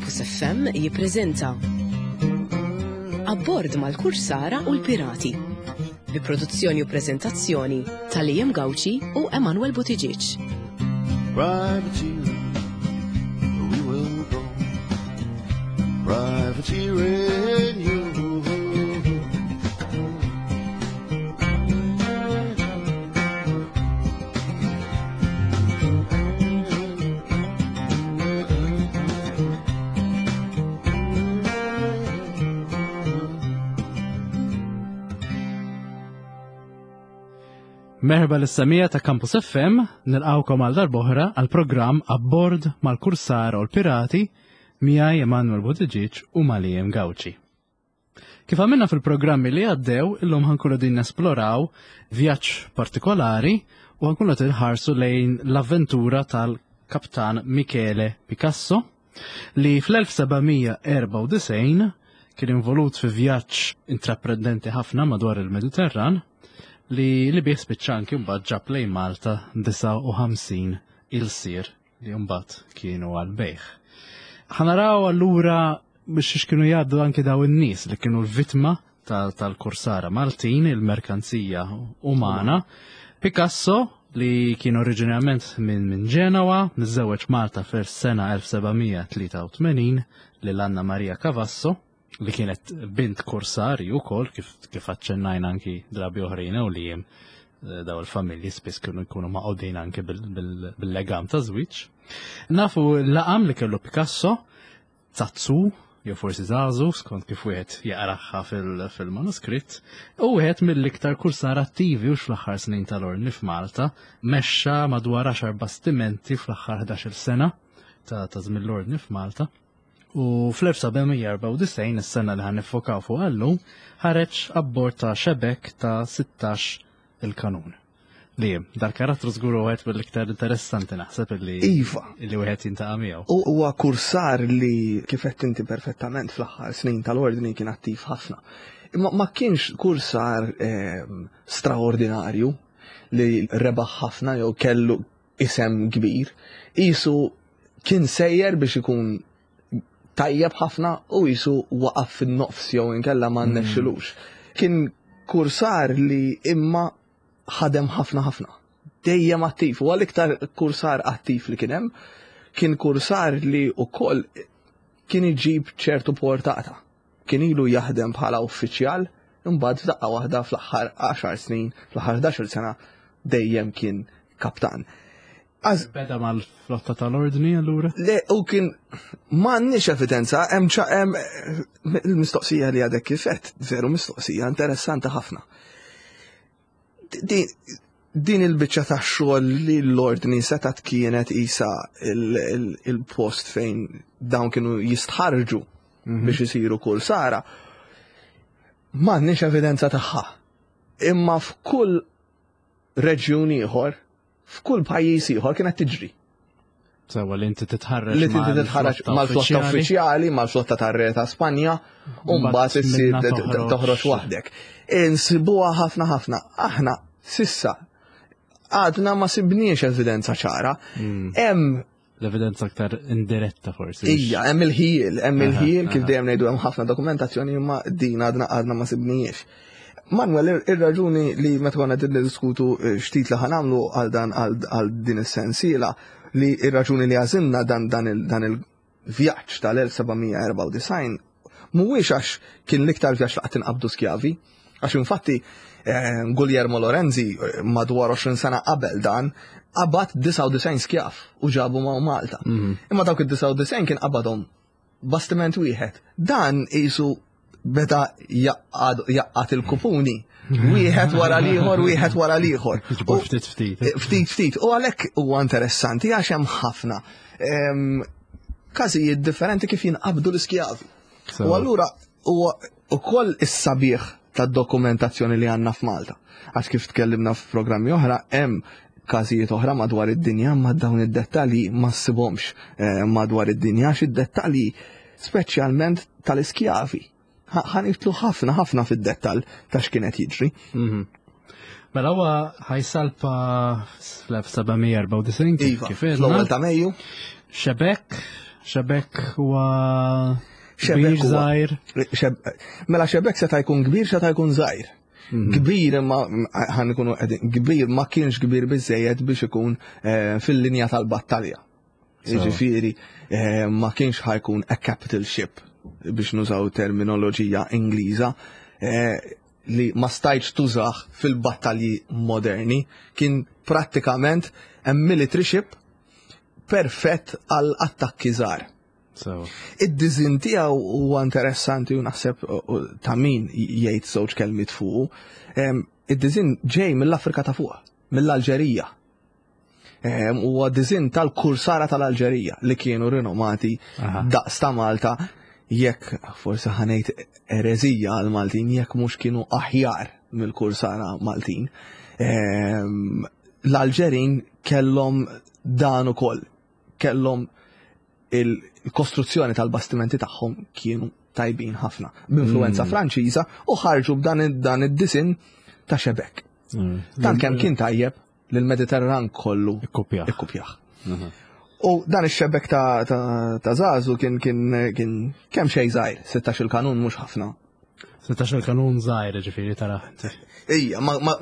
Campus FM jippreżenta Abbord mal-Kursara u l-Pirati bi produzzjoni u preżentazzjoni ta' Liam Gauci u Emanuel Buttigieg. Privateering, we will go. Privateering, you. Merħba l-samija ta' Campus FM, nilqawkom għal darboħra għal programm Abbord mal-Kursara u l-Pirati miegħi Emanuel Buttigieg u Malijem Gauci. Kif għamilna fil-programmi li għaddew, illum ħankunu din nesploraw vjaġġ partikolari u ħankunu tinħarsu lejn l-avventura tal-Kaptan Michele Picasso li fl-1794 kien involut fi vjaġġ intraprendenti ħafna madwar il-Mediterran li li bih spiċċa anki mbagħad ġab lejn Malta 59 il-sir li mbagħad kienu għal bejħ. Ħanaraw allura biex x'kienu jgħaddu anki daw in-nies li kienu l-vittma tal-kursara Maltin, il-merkanzija umana. Picasso li kien oriġinarjament minn min Ġenowa, miżżewweġ Malta fis-sena 1783 lil Anna Maria Cavasso li kienet bint kursari wkoll kif kif aċċennajna anki drabi oħrajn u li jem eh, daw il-familji spiss kienu jkunu maqodin anki bil-legam ta' żwieġ. Nafu l-laqam li kellu Picasso, Zazzu, jew forsi Zazu, skont kif wieħed jaqraħħa fil-manuskritt, u wieħed mill-iktar kursar attivi u fl-aħħar snin tal-ordni f'Malta, mexxa madwar 10 bastimenti fl-aħħar 11-il sena ta' żmien l-ordni f'Malta. U fl-1794, is-sena li ħan nifokaw fuq għallum, ħareġ abbord ta' xebek ta' 16 il-kanun. Li dal-karattru żgur wieħed mill-iktar interessanti naħseb li Iva. Li wieħed jintaqa' miegħu. U huwa kursar li kif qed inti perfettament fl-aħħar snin tal-ordni kien attiv ħafna. Imma ma kienx kursar ehm, straordinarju li rebaħ ħafna jew kellu isem kbir. Isu kien sejjer biex ikun tajjeb ħafna u jisu waqaf fin-nofs jew inkella ma hmm. nnexxilux. Kien kursar li imma ħadem ħafna ħafna. Dejjem attiv, u għal-iktar kursar attiv li kien hemm, kien kursar li wkoll kien iġib ċertu portata. Kien ilu jaħdem bħala uffiċjal, imbagħad f'daqqa waħda fl-aħħar 10 snin, fl-aħħar 11 sena dejjem kien kaptan. Beda mal-flotta tal-ordni allura? Le, u kien m'għandniex evidenza, hemm hemm il-mistoqsija li għadek kifet, veru mistoqsija interessanti ħafna. Din il-biċċa ta' xogħol li l-ordni setat kienet isa il-post fejn dawn kienu jistħarġu mhm. biex isiru kull sara. M'għandniex evidenza tagħha. Imma f'kull reġjun ieħor f'kull pajjiż ieħor kienet tiġri. Sewa li inti titħarreġ. Li inti titħarreġ mal-flotta uffiċjali, mal-flotta tar-Re ta' Spanja, u mbagħad issir toħroġ waħdek. Insibuha ħafna ħafna. Aħna sissa għadna ma sibniex evidenza ċara. Hmm. Hemm l-evidenza aktar indiretta forsi. Ija, hemm il-ħiel, hemm il-ħiel kif dejjem ngħidu hemm ħafna dokumentazzjoni imma din għadna għadna ma sibnijiex. Manuel, ir-raġuni li meta konna qed niddiskutu eh, xtit li ħanamlu għal dan għal din is-sensiela li ir-raġuni li għażilna dan dan il-vjaġġ tal-1794 mhuwiex għax kien l-iktar vjaġġ li qatt inqabdu skjavi, għax infatti eh, Guglielmo Lorenzi eh, madwar 20 sena qabel dan qabad 99 skjav u ġabu ma' Malta. Mhm. Imma dawk id-99 kien qabadhom bastiment wieħed. Dan isu beda jaqqat il-kupuni. Wieħed wara l-ieħor, wieħed wara l-ieħor. Ftit ftit. Eh, ftit ftit. U għalhekk huwa interessanti għax hemm ħafna ehm, każijiet differenti kif jinqabdu l-iskjavi. U allura huwa ukoll is-sabiħ tad-dokumentazzjoni li għandna f'Malta. Għax kif tkellimna f'programmi oħra hemm każijiet oħra madwar id-dinja ma dawn id-dettalji ma ssibhomx eh, madwar id-dinja għax id-dettalji speċjalment tal-iskjavi. Ħanitlu ħafna ħafna fid-dettall ta' x'kienet jiġri. Mhm. Mela huwa ħajsalpa fl-1794 iva, kif fl-ewwel ta' Mejju. Xebek, Xebek huwa kbir żgħir. Mela xebek seta' jkun kbir seta' jkun żgħir. Mhm. Kbir imma ħan ikunu qegħdin kbir ma kienx kbir biżejjed biex ikun eh, fil-linja tal-battalja. Jiġifieri eh, ma kienx ħajkun a capital ship biex nużaw terminoloġija Ingliża eh, li ma stajtx tużax fil-battalji moderni, kien prattikament a military ship perfett għal attakki żgħar. Id-dizin tiegħu huwa interessanti u naħseb ta' min jgħid żewġ kelmiet fuqu. Id-dizin ġej mill-Afrika ta' fuq, mill-Alġerija. Huwa dizin tal-kursara tal-Alġerija li kienu rinomati daqs ta' Malta jekk forsi ħanejt erezija għal Maltin jekk mhux kienu aħjar mill-kursara Maltin. L-Alġerin kellhom dan ukoll, kellhom il-kostruzzjoni tal-bastimenti tagħhom kienu tajbin ħafna b'influenza mm. Franċiża u ħarġu b'dan id-disin ta' xebek. Mm. Dan kemm kien tajjeb li l-Mediterran kollu ikkupjah. Mhm. U dan ix-xebek ta', ta, ta Zazu kien kien kien kemm xejn żgħir, 16 il-kanun mhux ħafna. 16 il-kanun żgħir ġifieri tara. Ejja, ma, ma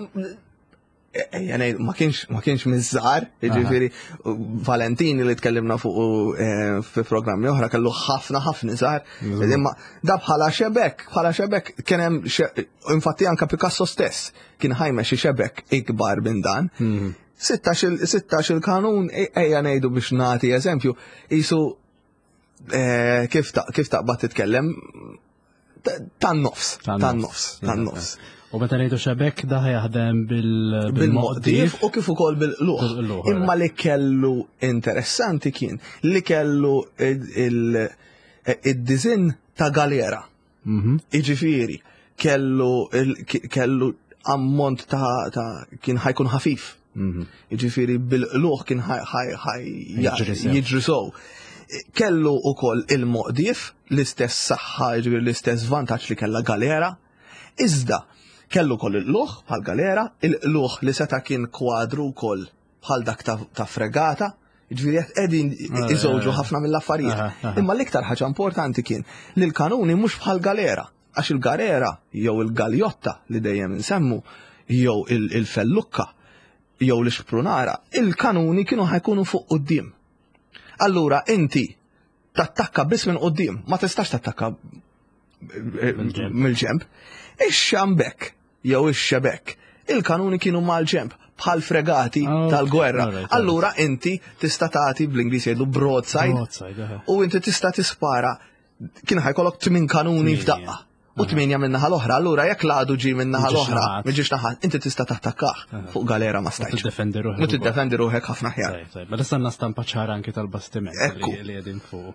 ejja ngħid ma kienx ma kienx miż-żgħar, jiġifieri Valentini li tkellimna fuq eh, fi programmi oħra kellu ħafna ħafna żgħar. Imma da bħala xebek, bħala xebek kien hemm infatti anka Picasso stess kien ħajma xi xebek ikbar minn dan. 16 mhm. il-kanun e, ejja ngħidu biex nagħti eżempju, isu eh, kif taqbad titkellem tan-nofs, tan-nofs, tan-nofs. U meta ngħidu xebek da jaħdem bil-moqdif u kif ukoll bil-qluħ. Imma li kellu interessanti kien li kellu id-dizin ta' galera. Mhm. Iġifieri, kellu kellu ammont ta' ta' kien ħajkun ħafif. Mhm. Iġifieri bil-qluħ kien jiġri sow. Kellu ukoll il-moqdif, l-istess saħħa, jiġifieri l-istess vantaġġ li kellha galera. Iżda kellu koll il-qluħ bħal galera, il-qluħ li seta' kien kwadru wkoll bħal dak ta' fregata, Ġifieri qed qegħdin eh, iżewġu eh, ħafna mill-affarijiet. Eh, Imma l-iktar ħaġa importanti kien li l-kanuni mhux bħal galera, għax il-galera jew il-galjotta li dejjem insemmu jew il-fellukka jew l-ixprunara, il-kanuni kienu ħajkunu fuq quddiem. Allura inti tattakka biss minn quddiem, ma tistax tattakka mill-ġemp. Ix-xambek jew ix-xebek, il-kanuni kienu mal-ġemp bħal fregati oh, tal-gwerra. Allura inti tista' tagħti bl-Ingliż jgħidu broadside u inti tista' tispara kien ħajkollok tmien kanuni f'daqqa u tminja minn naħa l-oħra. Allura jekk l-għadu ġi minn naħa l-oħra, miġiex naħa, inti tista' tattakkah fuq galera ma stajtx. Tiddefendi ruħek. U tiddefendi ruħek ħafna ħjar. Ma issa għandna stampa ċara anki tal-bastiment li qegħdin fuq.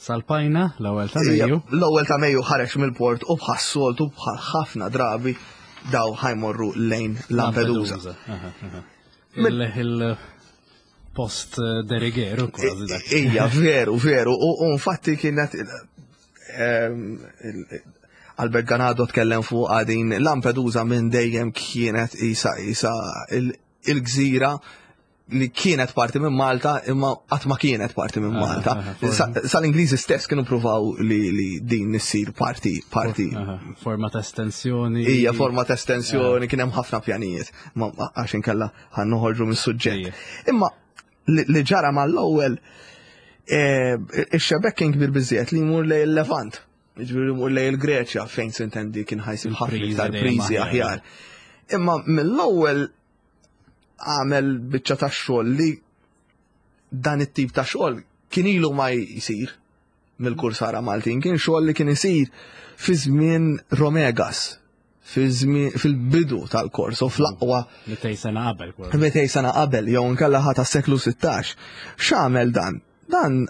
Salpajna l-ewwel ta' Mejju. L-ewwel ta' Mejju ħareġ mill-port u bħas-soltu bħal ħafna drabi daw ħajmorru lejn Lampedusa. Il-post eh, derigeru kważi dak. Ija, veru, veru. U infatti kienet ehm, Albert Ganado tkellem fuq għadin Lampedusa minn dejjem kienet isa isa il-gżira li kienet parti minn Malta imma qatt ma kienet parti minn ah, Malta. Ah, ah, Sal-Ingliżi stess kienu pruvaw li, li din issir parti parti. Forma ta' estensjoni. Ija, forma ta' estensjoni, kien hemm ħafna pjanijiet, ma għax inkella ħan noħorġu mis-suġġett. Imma li ġara mal-ewwel eh, ix-xebek kien kbir biżjed li jmur lejn il-Levant. Ġifieri jmur lejn il-Greċja fejn sintendi kien ħajsib ħafna iktar priżi aħjar. Imma mill-ewwel għamel biċċa ta' xogħol li dan it-tip ta' xogħol kien ilu ma jsir mill-kursara Maltin, kien xogħol li kien isir fi żmien Romegas, fil-bidu tal-kors u fl-aqwa. 200 sena qabel. 200 sena qabel, jew nkella ħata seklu 16. X'għamel dan? Dan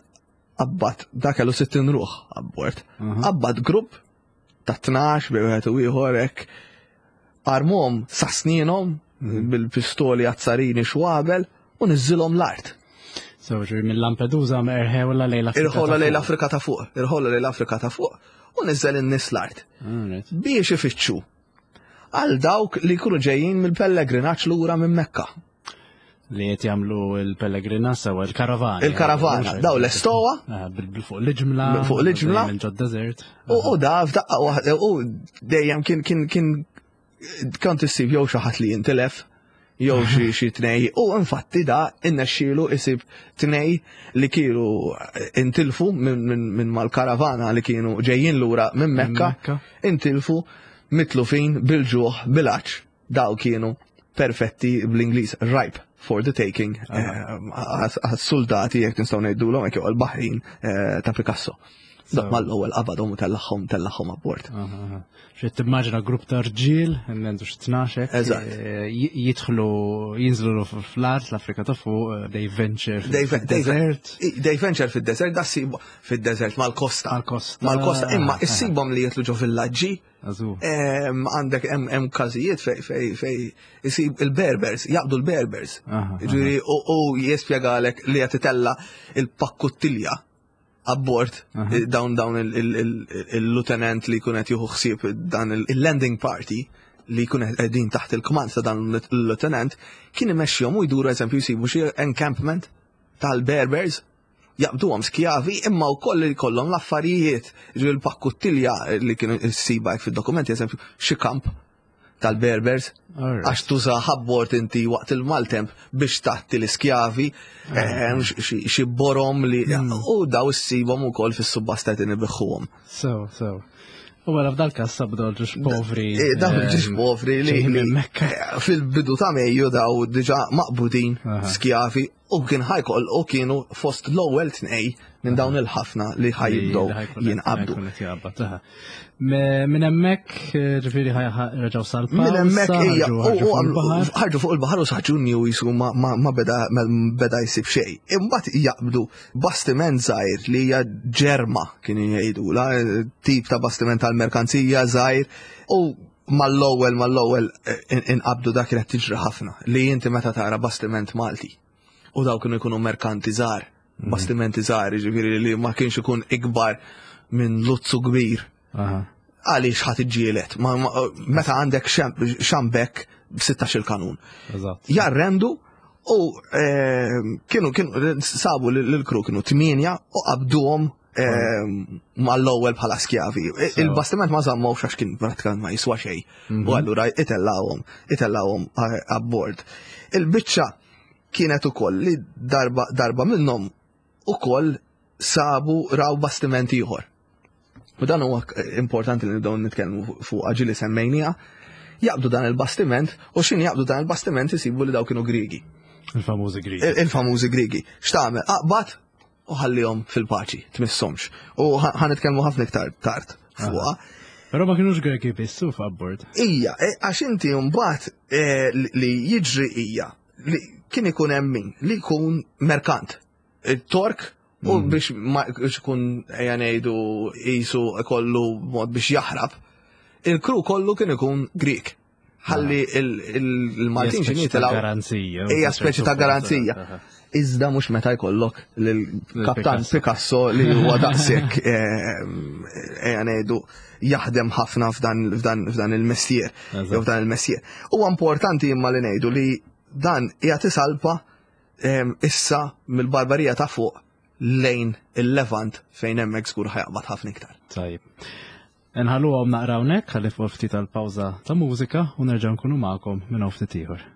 qabbat, da kellu 60 ruħ abbord, qabbat grupp ta' 12 bej wieħed u ieħor hekk armhom sa snienhom mhm. bil-pistoli azzarini xwabel u niżilhom l-art. So, ġuri mill-Lampedusa erħewla lejn l-Afrika. Irħola lejn l-Afrika ta' fuq, irħola lejn l-Afrika ta' fuq u niżel in-nies l-art. Biex ifittxu għal dawk li jkunu ġejjin mill-pellegrinaġġ lura minn Mekka. Li qed jagħmlu l-pellegrina sewa l-karavana. Il-karavana, daw l-estowa. Ah, fuq l-ġimla. Fuq l-ġimla. Ġod-desert. U da f'daqqa waħda u dejjem kien kien kien kont issib jew xi ħadd li jintilef jew xi xi tnej u infatti da innexxielu isib tnej li kienu intilfu minn mal-karavana li kienu ġejjin lura minn Mekka, intilfu mitlufin bil-ġuħ bil-għatx. Daw kienu perfetti bl-Ingliż ripe for the taking eh, għas-soldati jekk nistgħu ngħidulhom hekk jew għall-baħrin eh, ta' Picasso. Dak mal-ewwel qabadhom u tellagħhom tellagħhom abbord. Xi timmaġina grupp ta' rġiel, għandu xi tnax eh, jidħlu jinżlu fl-art l-Afrika ta' fuq, they venture fid-desert. They venture fid-desert, da fid-desert mal-kosta. Mal-kosta. Mal-kosta, imma issibhom li jitlu ġo villaġġi Għandek hemm każijiet fej fej fej isib il-Berbers, jaqbdu l-Berbers. Ġifieri u jispjegalek li qed itella il-pakkuttilja abbord dawn dawn il-lieutenant li jkun qed jieħu ħsieb dan il-landing party li jkun qegħdin taħt il-kmand ta' dan il-lieutenant kien imexxihom u jduru eżempju jsibu xi encampment tal-Berbers jaqbduhom skjavi imma wkoll li jkollhom l-affarijiet, ġifieri l-pakkuttilja li kienu ssiba hekk fid-dokumenti eżempju xi kamp tal-Berbers għax tuża ħabbort inti waqt il-maltemp biex tagħti l-iskjavi eh, xi borom li hmm. u daw issibhom ukoll fis-subbasta qed inibiħħuhom. So, so. U għara f'dal kas sabdu ġiex povri. Eh, daw eh, ġiex povri li fil-bidu ta' Mejju daw diġa maqbudin skjavi U kien ħajkoll u kienu fost l-ewwel tnej minn dawn il-ħafna li ħajibdew jinqabdu. Minn hemmhekk eh, ġifieri reġgħu salpa. Minn hemmhekk hija ħarġu fuq il-baħar u sa Ġunju jisu ma beda jsib xejn. Imbagħad jaqbdu bastiment żgħir li hija ġerma kienu jgħidula, tip ta' bastiment tal-merkanzija żgħir u mal-ewwel mal-ewwel eh, inqabdu dak kienet tiġri ħafna li inti meta tara bastiment Malti u daw kienu jkunu merkanti żgħar, mhm. bastimenti żgħar, jiġifieri li ma kienx ikun ikbar minn luzzu kbir. Għaliex ħadd iġġielet, meta għandek xambek b'16 il-kanun. Jarrendu u eh, kienu kienu sabu l-kru kienu tminja u qabduhom Ehm, mal-ewwel bħala skjavi. Il-bastiment ma żammowx għax kien pratikament ma jiswa xejn. Mhm. U allura itellawhom, itellawhom eh, abbord. Il-biċċa kienet ukoll li darba darba minnhom ukoll sabu raw bastiment ieħor. U dan huwa importanti li nibdew nitkellmu fuq ġili semmejnija. Jaqbdu dan il-bastiment u xin jaqbdu dan il-bastiment isibu li daw kienu Grigi. Il-famużi Grigi. Il-famużi Grigi. X'tagħmel? Aqbad u ħallihom fil-paċi, tmissomx. U ħanitkellmu ħafna iktar tard fuqha. Però ma kienux Greki biss u f'abbord. Ija, e, għax inti mbagħad e, li jiġri hija li kien ikun hemm min li jkun merkant. Il-Tork u mm. biex ma jkun ejja ngħidu qisu kollu mod biex jaħrab. Il-kru kollu kien ikun Grek. ħalli il-Maltin xi jitilgħu. Garanzija. Hija speċi ta' garanzija. Iżda mhux meta jkollok lill-Kaptan Picasso li huwa daqshekk eh, ejja ngħidu jaħdem ħafna f'dan il-mestier. Jew f'dan il-mestier. Huwa importanti imma li ngħidu li dan qiegħed isalpa eh, issa mill-Barbarija ta' fuq lejn il-Levant fejn hemmhekk żgur ħajaqbad ħafna iktar. Tajib. Nħalluhom naqra hawnhekk ħalli fuq ftit tal-pawża ta' mużika u nerġa' nkunu magħkom minn hawn ftit ieħor.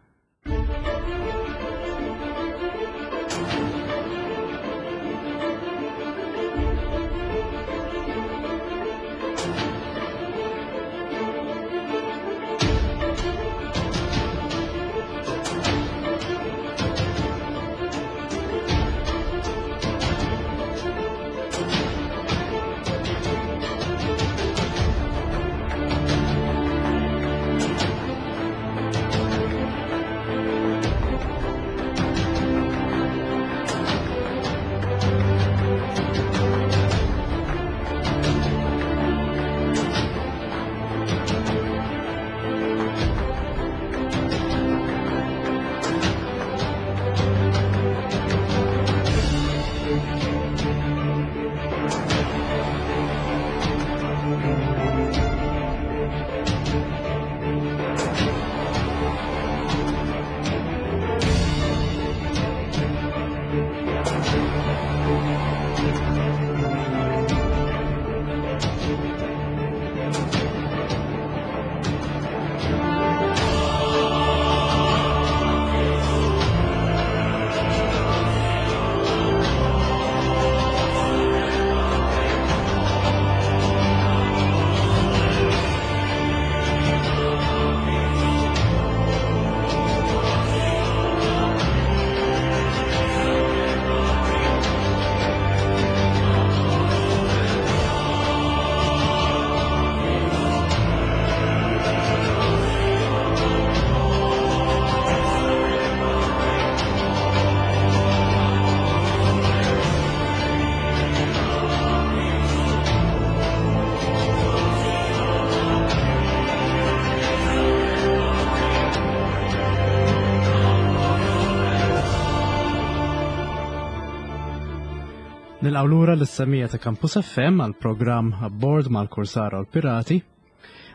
Nilqgħu lura lis-semija ta' Campus FM għal programm Abbord mal-Kursara u l-Pirati.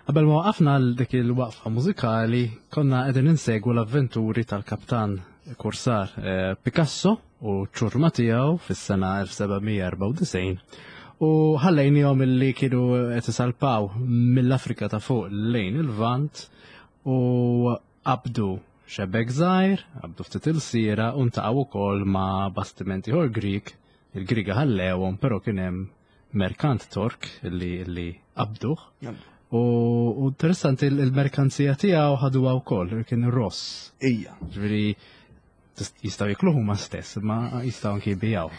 Qabel ma waqafna għal dik il-waqfa mużikali, konna qegħdin insegwu l-avventuri tal-kaptan Kursar eh, Picasso u ċurma tiegħu fis-sena 1794 u ħallejnihom illi kienu qed isalpaw mill-Afrika ta' fuq lejn il-Vant u qabdu xebek żgħir, qabdu ftit ilsiera u ntaqgħu wkoll ma' bastimenti ieħor Grieg, il-Griega ħallewhom però kien hemm merkant Tork li li qabduh. U interessanti il-merkanzija tiegħu ħaduha wkoll, kien ross. Ija. Ġifieri jistgħu jikluh huma stess, ma jistgħu anki jbijaw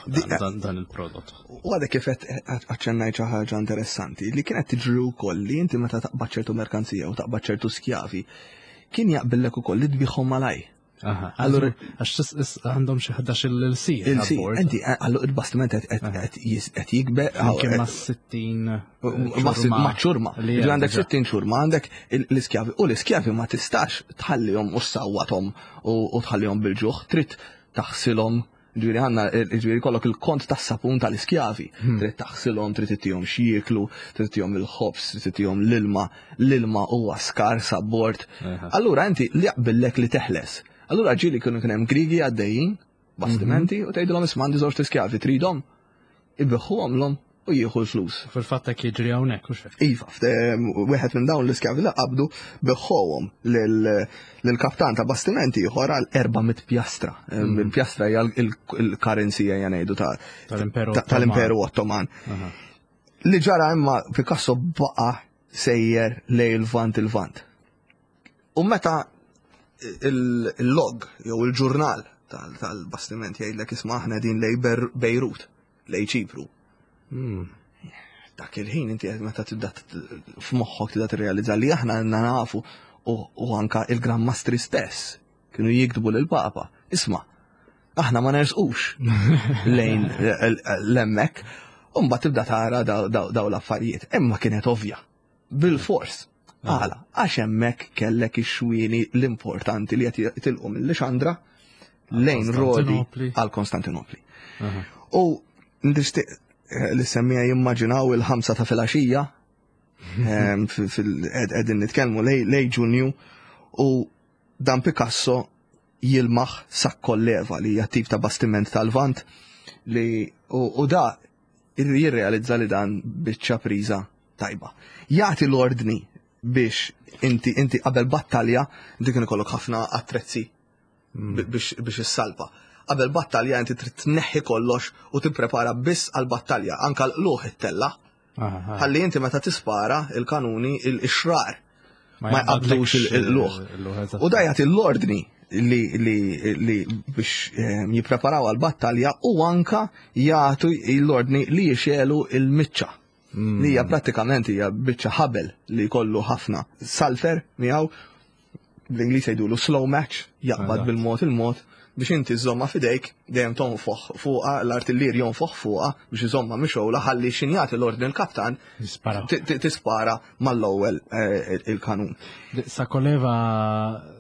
dan il-prodott. U għadek kif qed aċċennajt xi ħaġa interessanti li kienet tiġri wkoll li inti meta taqbad ċertu merkanzija u taqbad ċertu skjavi, kien jaqbillek ukoll li tbiħhom malaj. Allura, għax għandhom xi 11 il-sir. Il-sir, inti għallu il-bastiment qed jikber. Kien ma' 60 Ma' ċurma. Għandek 60 ċurma, għandek l-iskjavi. U l-iskjavi ma tistax tħallihom u sawwathom u tħallihom bil-ġuħ, trid taħsilhom Ġifieri għandna ġifieri kollok il-kont tas-sapun tal-iskjavi. Trid taħsilhom, trid ittihom x'jieklu, trid ittihom il-ħobż, trid ittihom l-ilma, l-ilma huwa skars abbord. Allura inti li jaqbillek li teħles. Allura ġieli kienu kien hemm Grigi għaddejjin, bastimenti, u tgħidilhom isma' għandi żewġ iskjavi, tridhom? Ibiħħuhomlhom u jieħu l-flus. Fil-fatt hekk jiġri hawnhekk u xejn. Iva, wieħed minn dawn l-iskjavi li qabdu biħħuhom lill-kaptan ta' bastimenti ieħor għal 400 pjastra. Il-pjastra hija il-currency ejja ngħidu tal-Imperu Ottoman. Li ġara imma Picasso baqa' sejjer lejn il-Lvant il-Lvant. U meta il-log jew il-ġurnal tal-bastiment jgħidlek isma' aħna din lej Bejrut, lej Ċipru. Dak il-ħin inti meta tibda f'moħħok tibda tirrealizza li aħna għandna nafu u anka il-Gran Mastri stess kienu jiktbu lil Papa. Isma' aħna ma nersqux lejn l-emmek, u mbagħad tibda tara daw l-affarijiet. Imma kienet ovvja. Bil-fors. Għala, għax hemmhekk kellek ix-xwieni l-importanti li qed jitilqu mill-Lixandra lejn Rodi għal Konstantinopli. U nixtieq eh, li semmija jimmaġinaw il-ħamsa ta' filgħaxija ehm, qegħdin nitkellmu lej Ġunju u dan Picasso jilmaħ sakkolleva li hija tip ta' bastiment tal-vant li u da jirrealizza li dan biċċa priża tajba. Jagħti l-ordni biex inti inti qabel battalja inti kien ikollok ħafna attrezzi mm. biex biex issalpa. Qabel battalja inti trid tneħħi kollox u tipprepara biss għal battalja, anka l-qluħ it-tella. Ħalli inti meta tispara il-kanuni il-xrar ma jqabdux il-luħ. U da jagħti l-ordni li, li, li biex eh, jippreparaw għal-battalja u anka jagħtu l-ordni li jixelu il-miċċa. Li hija prattikament hija biċċa ħabel li jkollu ħafna salfer miegħu bl-Ingliż jgħidulu slow match, jaqbad bil-mod il-mod biex inti żomma fidejk dejjem tonfoħ fuqha l-artillier jonfoħ fuqha biex iżomma mixgħula ħalli x'in jagħti l-ordni l-kaptan tispara mal-ewwel eh, il-kanun. Sakoleva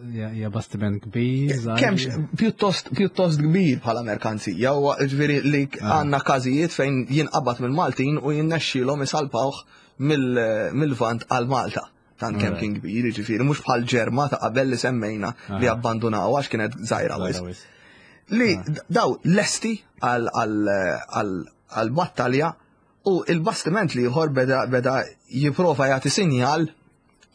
hija bastiment kbir. Kemm pjuttost pjuttost kbir bħala merkanzija, u ġifieri li ah. għandna każijiet fejn jinqabad mill-Maltin u jinnexxielhom isalpawh mill-Vant għal Malta. Tant kemm kien kbir, jiġifieri mhux bħal ġerma ta' qabel li semmejna li abbandunaw għax kienet żgħira wisq. Li daw lesti għal battalja u il-bastiment li ieħor beda beda jipprova jagħti sinjal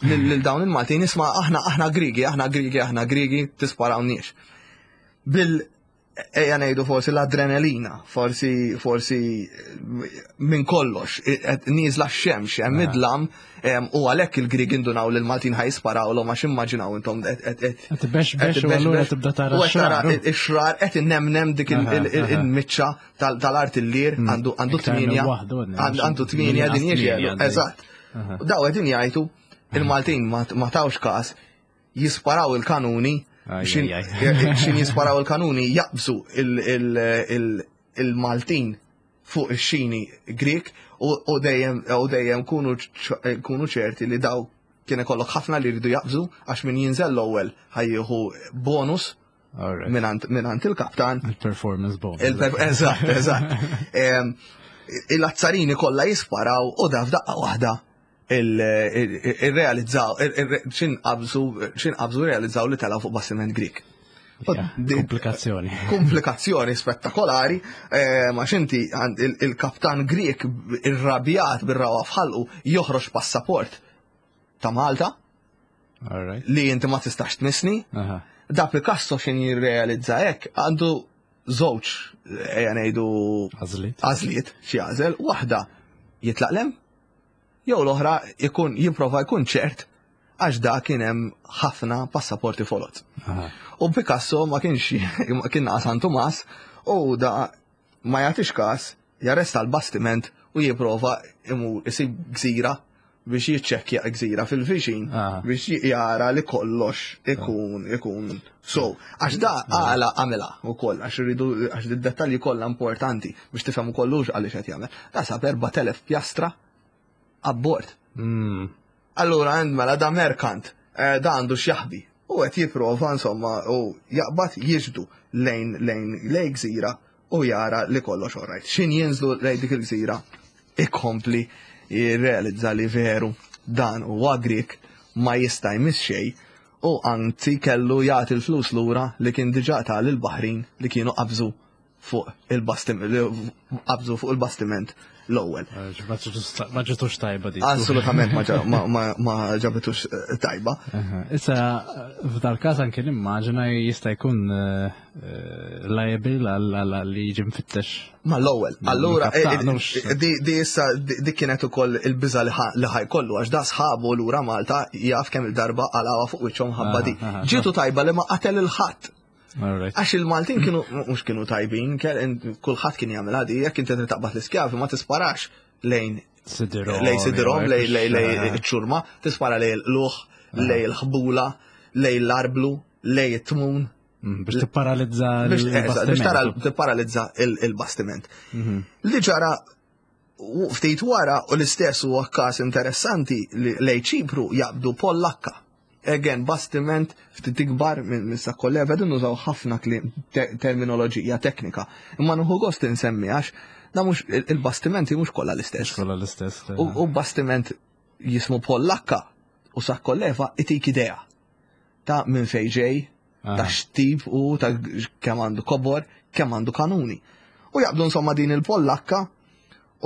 lil dawn il-Maltin isma' aħna aħna Grigi, aħna Grigi, aħna Grigi, tisparawniex. Bil ejja ngħidu forsi l-adrenalina, forsi forsi minn kollox, nieżla x-xemx, hemm idlam u għalhekk il-Grieg indunaw li l-Maltin ħaj jisparawlhom għax immaġinaw intom qed bex bex u allura tibda tara x-xrar. Ix-xrar qed innemnem dik il-miċċa tal-artillier hmm. għandu għandu tminja għandu tminja din jiġi. Eżatt. Daw qegħdin jgħidu il-Maltin ma tawx każ jisparaw il-kanuni, xin jisparaw il-kanuni jaqbżu il-Maltin fuq ix-xini Grek u dejjem u dejjem kunu ċerti li daw kien ikollok ħafna li jridu jaqbżu għax min jinżel l-ewwel ħajjieħu bonus. Minant il-kaptan. Il-performance bonus. Eżatt, eżatt. Il-azzarini kollha jisparaw u da f'daqqa waħda il-realizzaw, xin qabżu, xin qabżu realizzaw li tela fuq bastiment Grik. Komplikazzjoni. Komplikazzjoni spettakolari, eh, ma xinti il-kaptan Grik irrabjat bir-rawa fħalqu joħroġ passaport ta' Malta li inti ma tistax tmissni. Da Picasso xin jirrealizza hekk għandu żewġ ejja ngħidu għażliet xi għażel, waħda jitlaq lem, jew l-oħra jkun jipprova jkun ċert għax da kien hemm ħafna passaporti folot. U Picasso ma kienx kien naqas San Tumas u da ma jagħtix każ, jarresta l-bastiment u jipprova imur isib gżira biex jiċċekkja gżira fil-viċin ah. biex jara li kollox ikun ikun so għax da għala għamela u koll għax rridu għax id-dettalji kollha importanti biex tifhem ukoll għaliex qed jagħmel. Da sab 4000 pjastra abbord. Mm. Allura għand mela da merkant eh, da għandu x'jaħbi u qed jipprova insomma u jaqbad jiġdu lejn lejn lejn gżira u jara li kollox orajt. Xin jinżlu lejn dik il-gżira ikompli jirrealizza li veru dan huwa Grik ma jista' jmiss xejn u anzi kellu jagħti l-flus lura li kien diġà ta lill-baħrin li kienu qabżu fuq il-bastiment qabżu fuq il-bastiment l-ewwel. Eh, ma ġitux tajba di. Assolutament ma ġabitux eh, tajba. Issa f'dal-każ anke nimmaġina jista' jkun eh, liable għal li jiġi mfittex. Ma l-ewwel, allura di issa di kienet ukoll il-biża li ħajkollu għax da sħabu lura Malta jaf kemm il-darba għalawa fuq wiċċhom ħabba di. Ġietu tajba li ma qatel il-ħadd. Għax il-Maltin kienu, mux kienu tajbin, kulħadd kien jagħmel għadi, jekk inti trid taqbad l-iskjavi ma tisparax lejn lejn sidirhom, lejn lejn iċ-ċurma, tispara lejn l-luħ, lejn il-ħbula, lejn l-arblu, lejn it-tmun. Mm, biex tipparalizza Biex tara tipparalizza il-bastiment. Mhm. Li ġara ftit wara u l-istess huwa każ interessanti li lej Ċipru jaqbdu Pollakka. Again, bastiment ftit ikbar minn Sakkolleva, din nużaw ħafna terminoloġija teknika. Imma nħu gost insemmi għax da mhux il-bastimenti mhux kollha l-istess. Kollha l-istess. U bastiment jismu Pollakka u Sakkolleva itik idea ta' minn fejn ġej, ta' x'tip u ta' kemm għandu kobor, kemm għandu kanuni. U jaqbdu insomma din il-Pollakka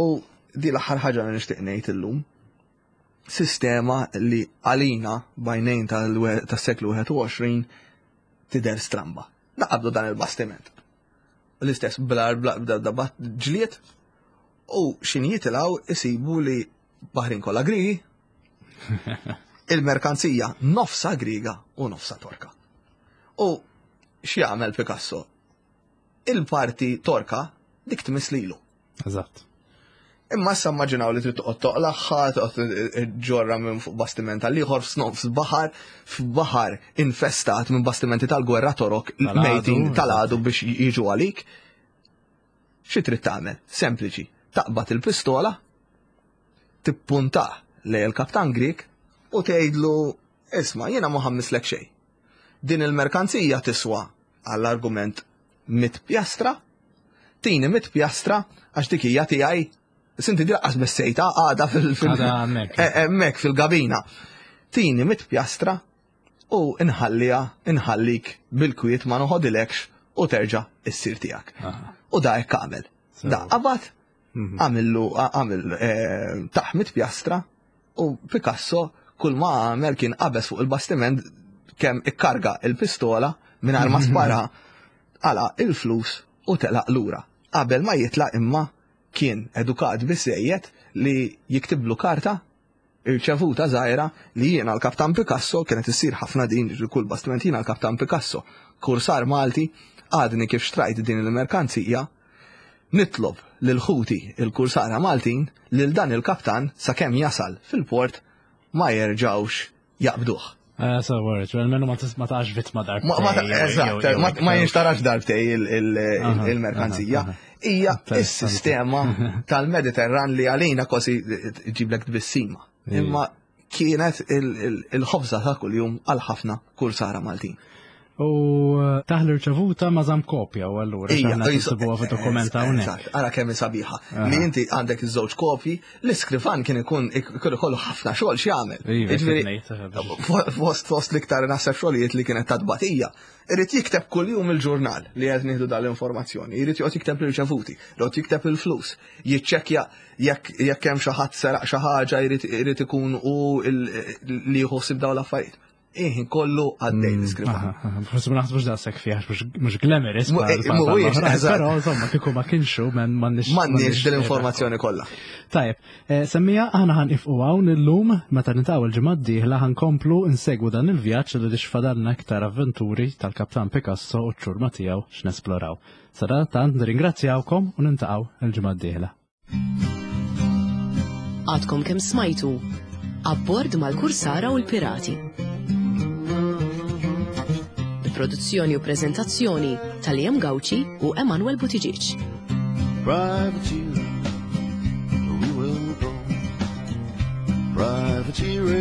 u di l-aħħar ħaġa li nixtieq ngħid illum. Sistema li għalina bajnejn tas-seklu 21 tidher stramba. Naqabdu dan il-bastiment. L-istess blar bla ġlied u xin jitilgħu isibu li baħrin kollha Grigi, Il-merkanzija nofsa Griega u nofsa Torka. U x'jagħmel Picasso? Il-parti Torka dik tmiss lilu. Eżatt. Imma issa immaġinaw li trid toqgħod toqlaħħa, toqgħod ġorra minn fuq bastiment għal ieħor f'nofs baħar, f'baħar infestat minn bastimenti tal-gwerra torok mejtin tal-għadu biex jiġu għalik. Xi trid tagħmel? Sempliċi, taqbad il-pistola, tippuntah lejn il-kaptan Grieg u tgħidlu isma' jiena ma ħammislek xejn. Din il-merkanzija tiswa għall-argument mit pjastra, tini mit pjastra għax dik hija tiegħi Sinti di laqqas bessejta għada fil- eh, hemmhekk fil-gabina. Tini mit pjastra u nħalliha nħallik bil-kwiet ma noħodilekx u terġa' issir tiegħek. U da hekk għamel. Da qabad mhm. għamillu għamil eh, taħmit pjastra u Picasso kull ma għamel kien qabeż fuq il-bastiment kemm ikkarga il-pistola mingħajr ma spara għala il-flus u telaq lura. Qabel ma jitlaq imma kien edukat biżejjed li jiktiblu karta irċevuta żgħira li jiena l-Kaptan Picasso, kienet issir ħafna din kull bastiment jiena l-Kaptan Picasso, kursar Malti, għadni kif xtrajt din il-merkanzija, nitlob lil ħuti il-kursara Maltin lil dan il-kaptan sakemm jasal fil-port ma jerġgħux jaqbduh. Eh, so, worried. Well, menu ma taqax vittma darbtej. Eżatt, ma jinxtarax darbtej il-merkanzija. Hija s-sistema tal-Mediterran li għalina kważi ġiblek tbissima. Imma kienet il-ħobza ta' kuljum għal ħafna kursara Maltin. U eh, taħ l-irċevuta ma żamm kopja u allura x'aħna nsibuha fid-dokument hawnhekk. Ara kemm sabiħa. Li inti għandek iż-żewġ kopji, l-iskrivan kien ikun ikun ikollu ħafna xogħol x'jagħmel. Iva, Jiġifieri, fost fost l-iktar naħseb xogħlijiet li kienet ta' tbatija. Irid jikteb kuljum il-ġurnal li qed nieħdu dal-informazzjoni, irid joqgħod jikteb l-irċevuti, joqgħod jikteb il-flus, jiċċekkja jekk jekk hemm xi ħadd seraq xi ħaġa jrid ikun hu li jħossib dawn l-affarijiet. Iħin kollu għaddej mm, l-iskrivan. Forsi ma naħsbux daqshekk fih mhux glamorous. Eh, mhuwiex, però insomma kieku ma kienxu men m'għandniex. M'għandniex din l-informazzjoni kollha. Tajjeb, eh, semmija aħna ħan ifqu hawn illum meta nitgħu l-ġimgħa d-dieħla ħankomplu nsegwu dan il-vjaġġ li xfadalna aktar avventuri tal-Kaptan Picasso u ċ-ċurma tiegħu x'nesploraw. Sadanittant nirringrazzjawkom u nintaqgħu l-ġimgħa d-dieħla. Għadkom kemm smajtu Abbord mal-Kursara u l-Pirati. Produzzjoni u preżentazzjoni tal-Liam Gauci u Emanuel Buttigieg. Privateer, we will go. Privateering.